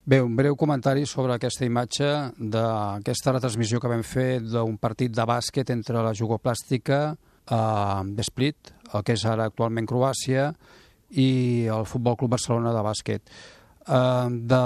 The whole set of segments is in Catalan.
Bé, un breu comentari sobre aquesta imatge d'aquesta retransmissió que vam fer d'un partit de bàsquet entre la Jugoplàstica de Split, el que és ara actualment Croàcia, i el Futbol Club Barcelona de bàsquet. De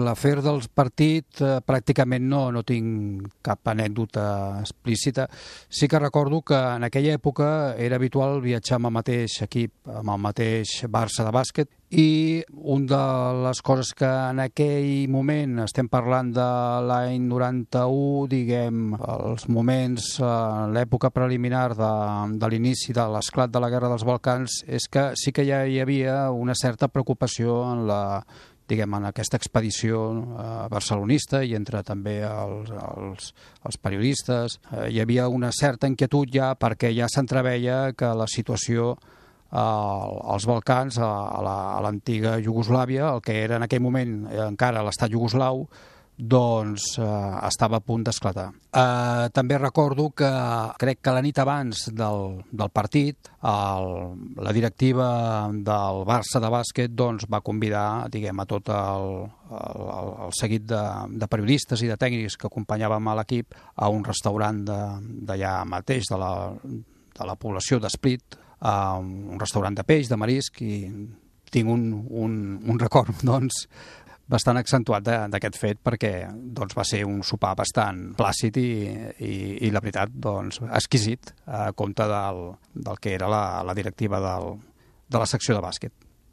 l'afer del partit pràcticament no tinc cap anècdota explícita. Sí que recordo que en aquella època era habitual viatjar amb el mateix equip, amb el mateix Barça de bàsquet, i una de les coses que en aquell moment, estem parlant de l'any 91, diguem, els moments, l'època preliminar de l'inici de l'esclat de la Guerra dels Balcans, és que sí que ja hi havia una certa preocupació en aquesta expedició barcelonista i entre també els periodistes. Hi havia una certa inquietud ja perquè ja s'entreveia que la situació als Balcans, a l'antiga Iugoslàvia, el que era en aquell moment encara l'estat iugoslau, doncs estava a punt d'esclatar. També recordo que crec que la nit abans del partit la directiva del Barça de bàsquet doncs, va convidar, diguem, a tot el seguit de periodistes i de tècnics que acompanyàvem a l'equip a un restaurant d'allà mateix de la població d'Split, un restaurant de peix, de marisc, i tinc un record doncs bastant accentuat d'aquest fet perquè doncs, va ser un sopar bastant plàcid i la veritat doncs, exquisit a compte del que era la directiva de la secció de bàsquet.